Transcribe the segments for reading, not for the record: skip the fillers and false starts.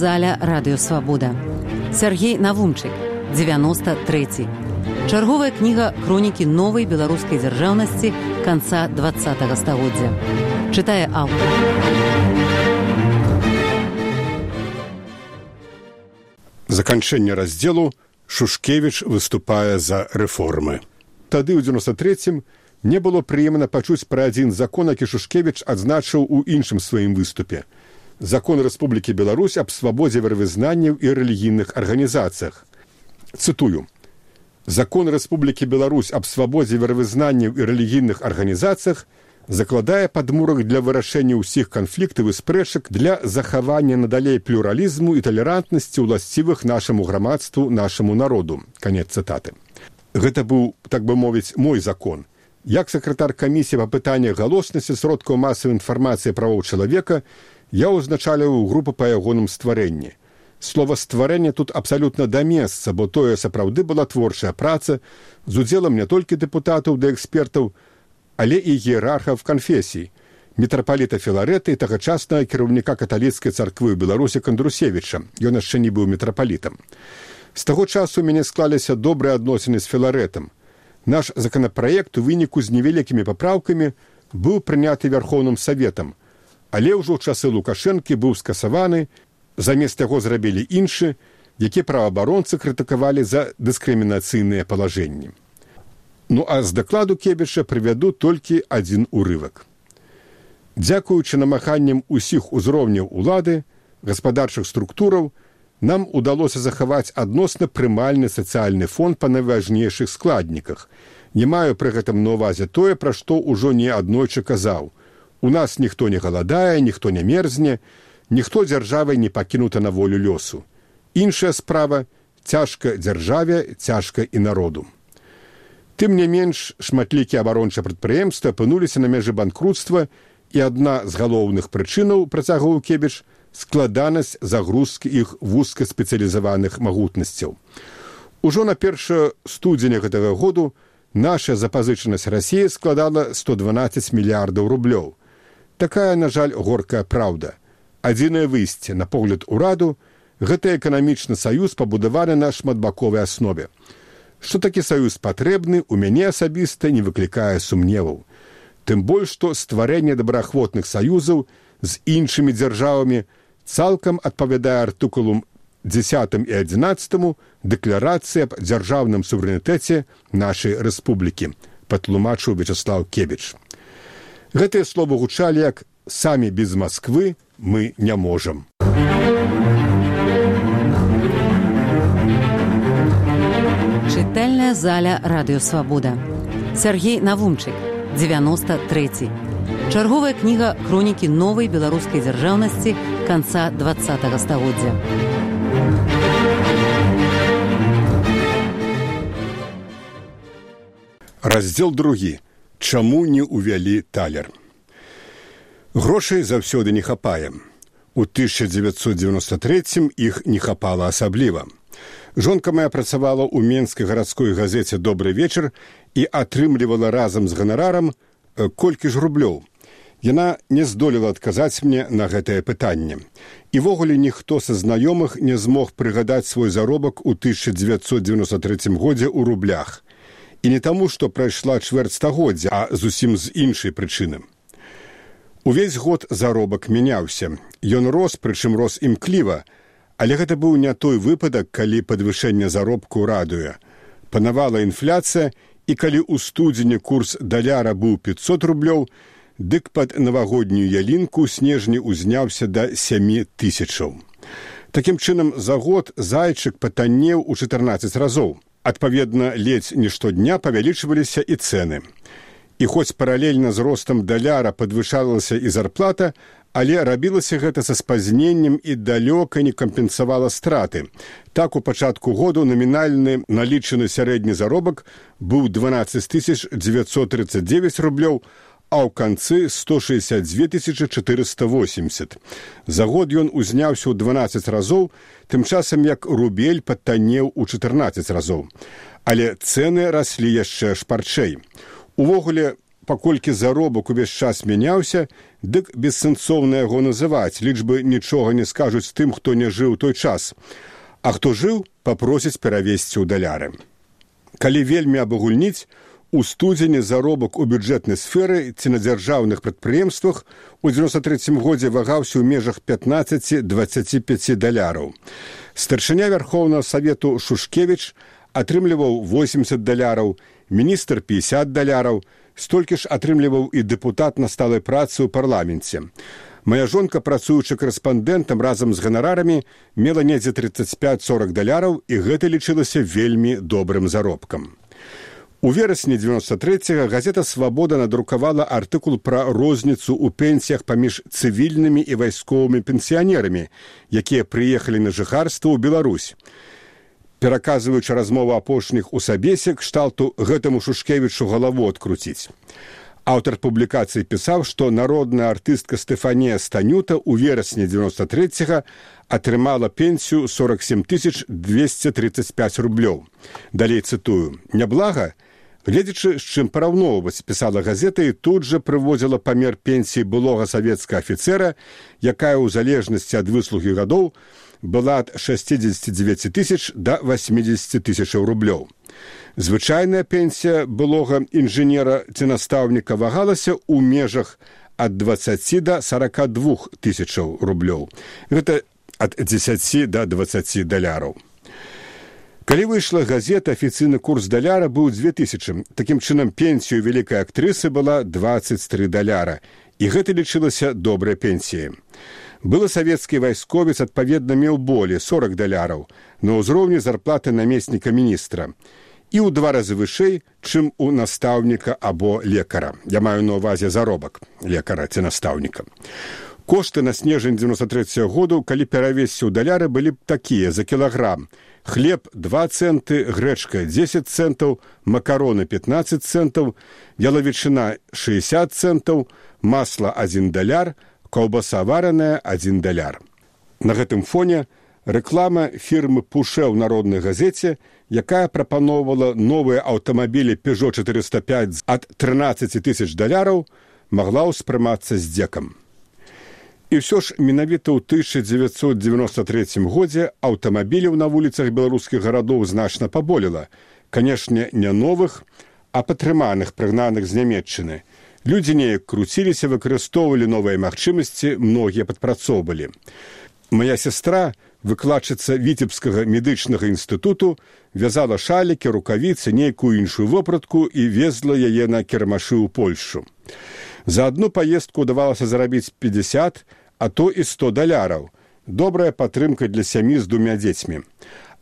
заля Радыё Свабода. Сергей Навумчык, 93. Чарговая кніга хронікі новай беларускай дзяржаўнасці канца 20-го стагоддзя. Чытае аўтар. Заканчэнне раздзелу Шушкевіч выступае за рэформы. Тады ў 93-м мне было прыемна пачуць пра адзін закон, які Шушкевіч адзначыў у іншым сваім выступе. Закон Рэспублікі Беларусь аб свабодзе веравызнанняў і рэлігійных арганізацыях. Цытую. Закон Рэспублікі Беларусь аб свабодзе веравызнанняў і рэлігійных арганізацыях закладае падмурак для вырашэння ўсіх канфліктаў і спрэчак для захавання надалей плюралізму і талерантнасці ўласцівых нашаму грамадству, нашаму народу. Канец цытаты. Гэта быў, так бы мовіць, мой закон. Як сакратар камісіі па пытаннях галоснасці сродкаў масавай інфармацыі правоў чалавека, я ўзначаліў групу па ягоным стварэнні. Слова «стварэнне» тут абсалютна да месца, бо тое сапраўды была творчая праца з удзелам не толькі дэпутатаў ды экспертаў, але і іерархаў канфесій, мітрапаліта Філарэта і тагачаснага кіраўніка каталіцкай царквы ў Беларусі Кандрусевіча. Ён яшчэ не быў мітрапалітам. З таго часу ў мяне склаліся добрыя адносіны з Філарэтам. Наш законапраект у выніку з невялікімі папраўкамі быў прыняты Вярхоўным Саветам, але ўжо ў часы Лукашэнкі быў скасаваны, замест яго зрабілі іншы, які праваабаронцы крытыкавалі за дыскрымінацыйныя палажэнні. Ну а з дакладу Кебіча прывяду толькі адзін урывак. Дзякуючы намаганням усіх узроўняў улады, гаспадарчых структураў, нам удалося захаваць адносна прымальны сацыяльны фон па найважнейшых складніках. Не маю пры гэтым на ўвазе тое, пра што ўжо не аднойчы казаў. У нас ніхто не галадае, ніхто не мерзне, ніхто дзяржавай не пакінута на волю лёсу. Іншая справа – цяжка дзяржаве, цяжка і народу. Тым не менш, шматлікія абарончыя прадпрыемствы апынуліся на мяжы банкруцтва, і адна з галоўных прычынаў, працягваў Кебіч, складанасць загрузкі іх вузкаспецыялізаваных магутнасцяў. Ужо на 1 студзеня гэтага году наша запазычанасць Расіі складала 112 мільярдаў рублёў. Такая, на жаль, горкая праўда. Адзінае выйсце, на погляд ураду, гэта эканамічны саюз пабудаваны на шматбаковай аснове. Што такі саюз патрэбны, у мяне асабіста не выклікае сумневаў. Тым больш, што стварэнне добраахвотных саюзаў з іншымі дзяржавамі цалкам адпавядае артыкулам 10 і 11 Дэкларацыі аб дзяржаўным суверэнітэце нашай рэспублікі, патлумачыў Вячаслаў Кебіч. Гэтыя словы гучалі як «Самі без Масквы мы не можам». Чытальная заля Радыё Свабода. Сергей Навумчык, 93. Чарговая кніга хронікі новай беларускай дзяржаўнасці канца 20-го стагоддзя. Раздзел 2. Чаму не ўвялі талер? Грошай заўсёды не хапае. У 1993-м іх не хапала асабліва. Жонка моя працавала ў менскай гарадской газеце «Добры вечар» і атрымлівала разам з ганарарам колькі ж рублёў. Яна не здолела адказаць мне на гэтае пытанне. І ввогуле ніхто са знаёмых не змог прыгадаць свой заробак у 1993 годзе ў рублях. І не таму, што прайшла чвэрць стагоддзя, а зусім з іншай прычыны. Увесь год заробак мяняўся. Ён рос, прычым рос імкліва, але гэта быў не той выпадак, калі падвышэнне заробку радуе. Панавала інфляцыя, і калі ў студзені курс даляра быў 500 рублёў, дык пад навагоднюю ялінку снежні ўзняўся да 7 000. Такім чынам, за год зайчык патаннеў у 14 разоў. Адпаведна, ледзь не штодня павялічваліся і цэны. І хоць паралельна з ростам даляра падвышалася і зарплата, але рабілася гэта са спазненнем і далёка не кампенсавала страты. Так, у пачатку году намінальны налічаны сярэдні заробак быў 12 939 рублёў, а ў канцы 162 480. За год ён узняўся ў 12 разоў, тым часам як рубель падтаннеў у 14 разоў. Але цэны раслі яшчэ шпарчэй. Увогуле, паколькі заробак увесь час мяняўся, дык бессэнсоўна яго называць, лічбы нічога не скажуць тым, хто не жыў той час. А хто жыў, папросіць перавесці ў даляры. Калі вельмі абагульніць, у студзені заробак у бюджэтнай сферы ці на дзяржаўных прадпрыемствах у 93 годзе вагаўся ў межах 15-25 даляраў. Старшыня Вярхоўнага Савету Шушкевіч атрымліваў 80 даляраў, міністр 50 даляраў, столькі ж атрымліваў і дэпутат на сталай працы ў парламенце. Мая жонка, працуючы карэспандэнтам разам з ганарарамі, мела недзе 35-40 даляраў, і гэта лічылася вельмі добрым заробкам. У верасні 93-го газета «Свабода» надрукавала артыкул пра розніцу ў пенсіях паміж цывільнымі і вайсковымі пенсіянерамі, якія прыехалі на жыхарства ў Беларусь. Пераказваючы размову апошніх у сабесе, кшталту гэтаму Шушкевічу галаву адкруціць. Аўтар публікацыі пісаў, што народная артыстка Стефанія Станюта ў верасні 93-го атрымала пенсію 47 235 рублёў. Далей цытую. «Няблага? Гледзячы, з чым параўноўваць», пісала газета, і тут жа прыводзіла памер пенсіі былога савецкага афіцэра, якая ў залежнасці ад выслугі гадоў была ад 69 тысяч да 80 тысячаў рублёў. Звычайная пенсія былога інжынера ці настаўніка вагалася ў межах ад 20 да 42 тысячаў рублёў. Гэта ад 10 да 20 даляраў. Калі выйшла газета, афіцыйны курс даляра быў 2000. Такім чынам, пенсію вялікай актрысы была 23 даляра. І гэта лічылася добрай пенсіяй. Былы савецкі вайсковец, адпаведна, меў болей 40 даляраў на ўзроўні зарплаты намесніка міністра. І ў 2 разы вышэй, чым у настаўніка або лекара. Я маю на ўвазе заробак лекара ці настаўніка. Кошты на снежань 93-го году, калі перавесці ў даляры, былі б такія за кілаграм. Хлеб 2 центы, грэчка 10 центаў, макароны 15 центаў, ялавічына 60 центаў, масла 1 даляр, каўбаса вараная 1 даляр. На гэтым фоне рэклама фірмы Пуше ў народнай газеце, якая прапаноўвала новыя аўтамабілі Peugeot 405 ад 13 тысяч даляраў, магла ўспрымацца здзекам. І ўсё ж менавіта ў 1993 годзе аўтамабіляў на вуліцах беларускіх гарадоў значна паболела. Канешне, не новых, а патрыманых, прыгнаных з Нямецчыны. Людзі неяк круціліся, выкарыстоўвалі новыя магчымасці, многія падпрацоўвалі. Мая сястра, выкладчыца Віцебскага медычнага інстытуту, вязала шалікі, рукавіцы, нейкую іншую вопратку і везла яе на кірмашы ў Польшчу. За адну паездку ўдавалася зарабіць 50, а то і 100 даляраў. Добрая падтрымка для сям'і з 2 дзецьмі.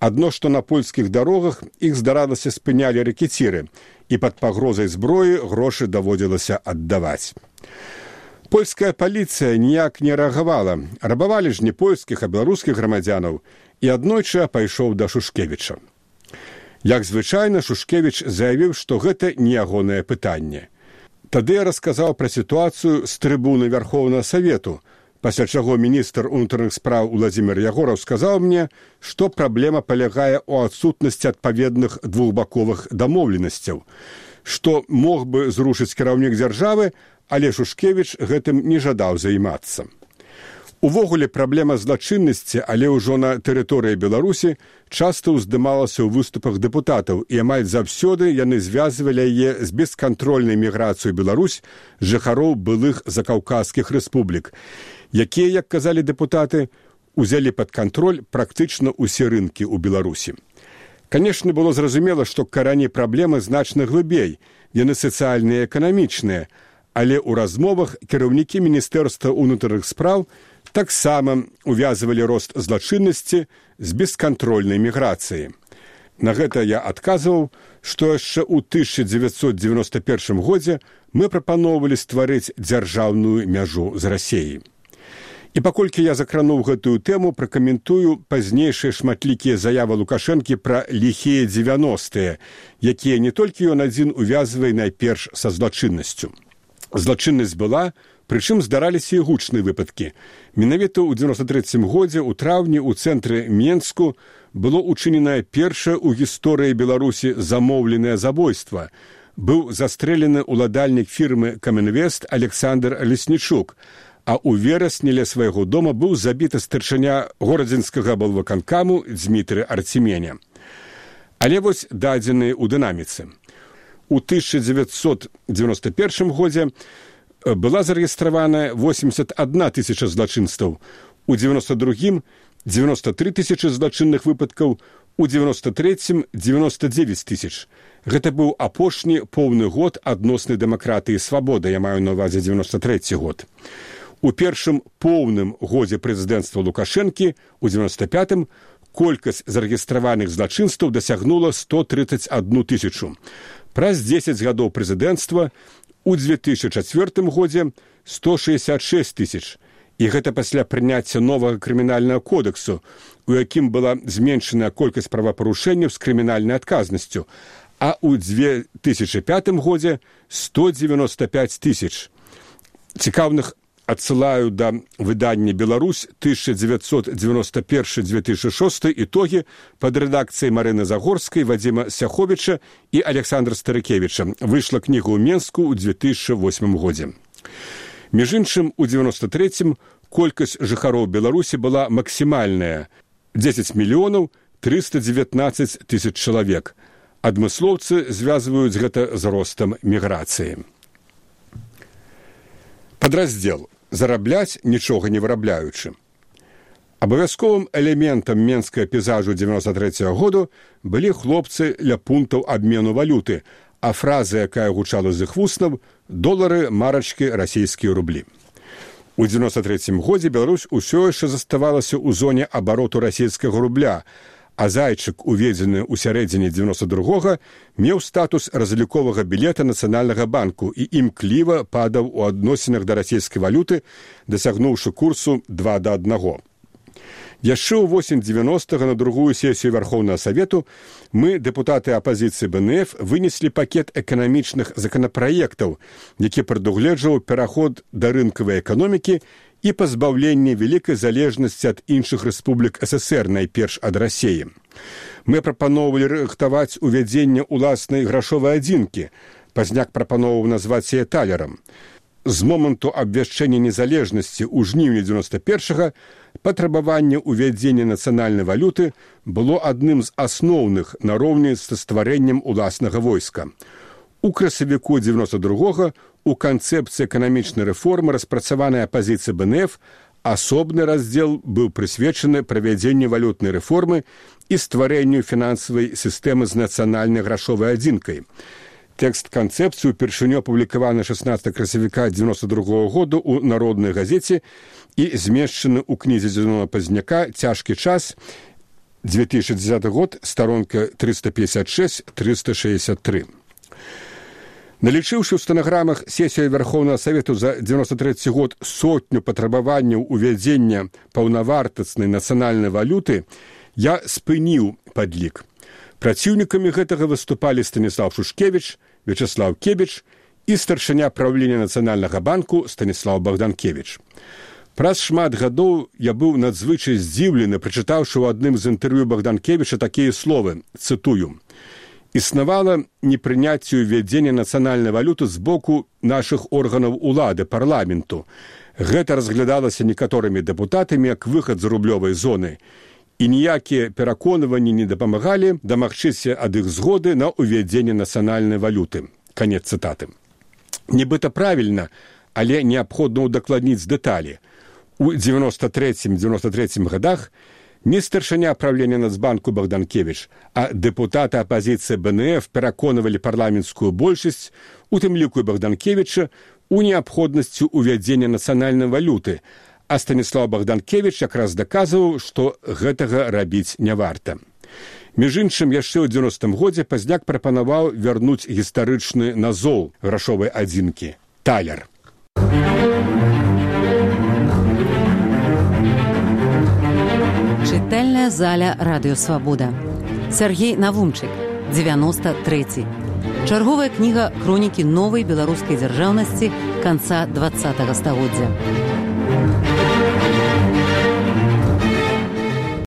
Адно, што на польскіх дарогах іх, здаралася, спынялі рэкеціры, і пад пагрозай зброі грошы даводзілася аддаваць. Польская паліцыя ніяк не рэагавала. Рабавалі ж не польскіх, а беларускіх грамадзянаў, і аднойчы пайшоў да Шушкевіча. Як звычайна, Шушкевіч заявіў, што гэта не ягонае пытанне. Тады я расказаў пра сітуацыю з трыбуны Вярхоўнага Савету, пасля чаго міністр унутраных спраў Уладзімір Ягораў сказаў мне, што праблема палягае ў адсутнасці адпаведных двухбаковых дамоўленасцяў, што мог бы зрушыць кіраўнік дзяржавы, але Шушкевіч гэтым не жадаў займацца. Увогуле, праблема злачыннасці, але ўжо на тэрыторыі Беларусі, часта ўздымалася ў выступах дэпутатаў, і амаль заўсёды яны звязвалі яе з бескантрольнай міграцыяй Беларусь жыхароў былых закаўказскіх рэспублік, якія, як казалі дэпутаты, узялі пад кантроль практычна ўсе рынкі ў Беларусі. Канешне, было зразумела, што карані праблемы значна глыбей, яны сацыяльныя і эканамічныя, але ў размовах кіраўнікі Міністэрства ўнутраных спраў таксама увязвалі рост злачыннасці з бескантрольнай міграцыяй. На гэта я адказваў, што яшчэ ў 1991 годзе мы прапаноўвалі стварыць дзяржаўную мяжу з Расіяй. І паколькі я закрануў гэтую тэму, пракаментую пазнейшыя шматлікія заявы Лукашэнкі пра ліхія 90-е, якія не толькі ён адзін увязвае найперш са злачыннасцю. Злачыннасць была, прычым здараліся і гучныя выпадкі. Менавіта ў 93 годзе ў траўні ў цэнтры Менску было учыненае першае ў гісторыі Беларусі замоўленае забойства. быў застрэлены ўладальнік фірмы «Камінвест» Александр Леснічук, а ў верасні ля свайго дома быў забіты старшыня горадзінскага аблвыканкаму Дзмітрый Артеменя. Але вось дадзеныя ў дынаміцы. У 1991 годзе была зарэгістравана 81 тысяча злачынстваў, у 92-м 93 тысячы злачынных выпадкаў, у 93-м 99 тысяч. Гэта быў апошні поўны год адноснай дэмакратыі і свабоды, я маю на ўвазе 93 год. У першым поўным годзе прэзідэнцтва Лукашэнкі, у 95-м, колькасць зарэгістраваных злачынстваў дасягнула 131 тысячу. Праз 10 гадоў прэзідэнцтва у 2004 годзе 166 тысяч. І гэта пасля прыняцця новага крымінальнага кодексу, у якім была зменшаная колькасць правапарушэнняў з крымінальнай адказнасцю, а ў 2005 годзе 195 тысяч. Цікаўных адсылаю да выдання «Беларусь» 1991-2006 ітогі пад рэдакцыяй Марыны Загорскай, Вадзіма Сяховіча і Александра Старыкевіча. Выйшла кніга ў Менску ў 2008 годзе. Між іншым, у 93-м колькасць жыхароў Беларусі была максімальная – 10 мільёнаў 319 тысяч чалавек. Адмыслоўцы звязваюць гэта з ростам міграцыі. Падраздзел «Зарабляць, нічога не вырабляючы». Абавязковым элементам менскага пейзажу 93-го году былі хлопцы ля пунктаў абмену валюты, а фраза, якая гучала з іх вуснаў – долары, марачкі, расійскія рублі. У 93-м годзе Беларусь усё яшчэ заставалася ў зоне абароту расійскага рубля, а зайчык, уведзены ў сярэдзіне 92-го, меў статус разліковага білета Нацыянальнага банку і імкліва падаў у адносінах да расійскай валюты, дасягнуўшы курсу 2:1. Яшчэ ў восень 90-го на другую сесію Верховнага Савету мы, дэпутаты апазіцыі БНФ, вынеслі пакет эканамічных законапраектаў, які прадугледжваў пераход да рынкавай эканомікі і пазбаўленне вялікай залежнасці ад іншых рэспублік СССР, найперш ад Расіі. Мы прапаноўвалі рыхтаваць увядзенне ўласнай грашовай адзінкі, пазняк прапаноўваў назваць яе талерам. З моманту абвяшчэння незалежнасці ў жніўні 91-го патрабаванне ўвядзення нацыянальнай валюты было адным з асноўных нароўні са стварэннем уласнага войска. У красавіку 92-го у канцэпцыі эканамічнай рэформы, распрацаванай апазіцыяй БНФ, асобны раздзел быў прысвечаны правядзенню валютнай рэформы і стварэнню фінансавай сістэмы з нацыянальнай грашовай адзінкай. Тэкст канцэпцыі упершыню апублікаваны 16 красавіка 92-го году ў Народнай газеце і змешчаны ў кнізе Зінона Пазняка «Цяжкі час», 2010 год, старонка 356-363. Налічыўшы ў стэнаграмах сесію Верховнага Савету за 93 год сотню патрабаванняў увядзення паўнавартаснай нацыянальнай валюты, я спыніў падлік. Праціўнікамі гэтага выступалі Станіслав Шушкевіч, Вячеслав Кебіч і старшыня правлення Нацыянальнага банку Станіслав Богданкевіч. Праз шмат гадоў я быў надзвычай здзіўлены, прачытаўшы ў адным з інтэрв'ю Богданкевіча такія словы, цытую: «Існавала непрыняцце ўвядзення нацыянальнай валюты з боку нашых органаў улады, парламенту. Гэта разглядалася некаторымі дэпутатамі як выхад з рублёвай зоны. І ніякія пераконванні не дапамагалі дамагчыся ад іх згоды на ўвядзенне нацыянальнай валюты». Канец цытаты. Нібыта правільна, але неабходна ўдакладніць дэталі. У 93-93 годах не старшыня правлення Нацбанку Богданкевіч, а дэпутаты апазіцыі БНФ пераконвалі парламенцкую большасць, у тым ліку і Богданкевіча, у неабходнасці ўвядзення нацыянальнай валюты, а Станіслав Богданкевіч якраз даказваў, што гэтага рабіць не варта. Між іншым, яшчэ ў 90-м годзе Пазняк прапанаваў вярнуць гістарычны назоў грашовай адзінкі – талер. Чытальная заля Радыё Свабода. Сергей Навумчык, 93. Чарговая кніга хронікі новай беларускай дзяржаўнасці канца 20-го стагоддзя.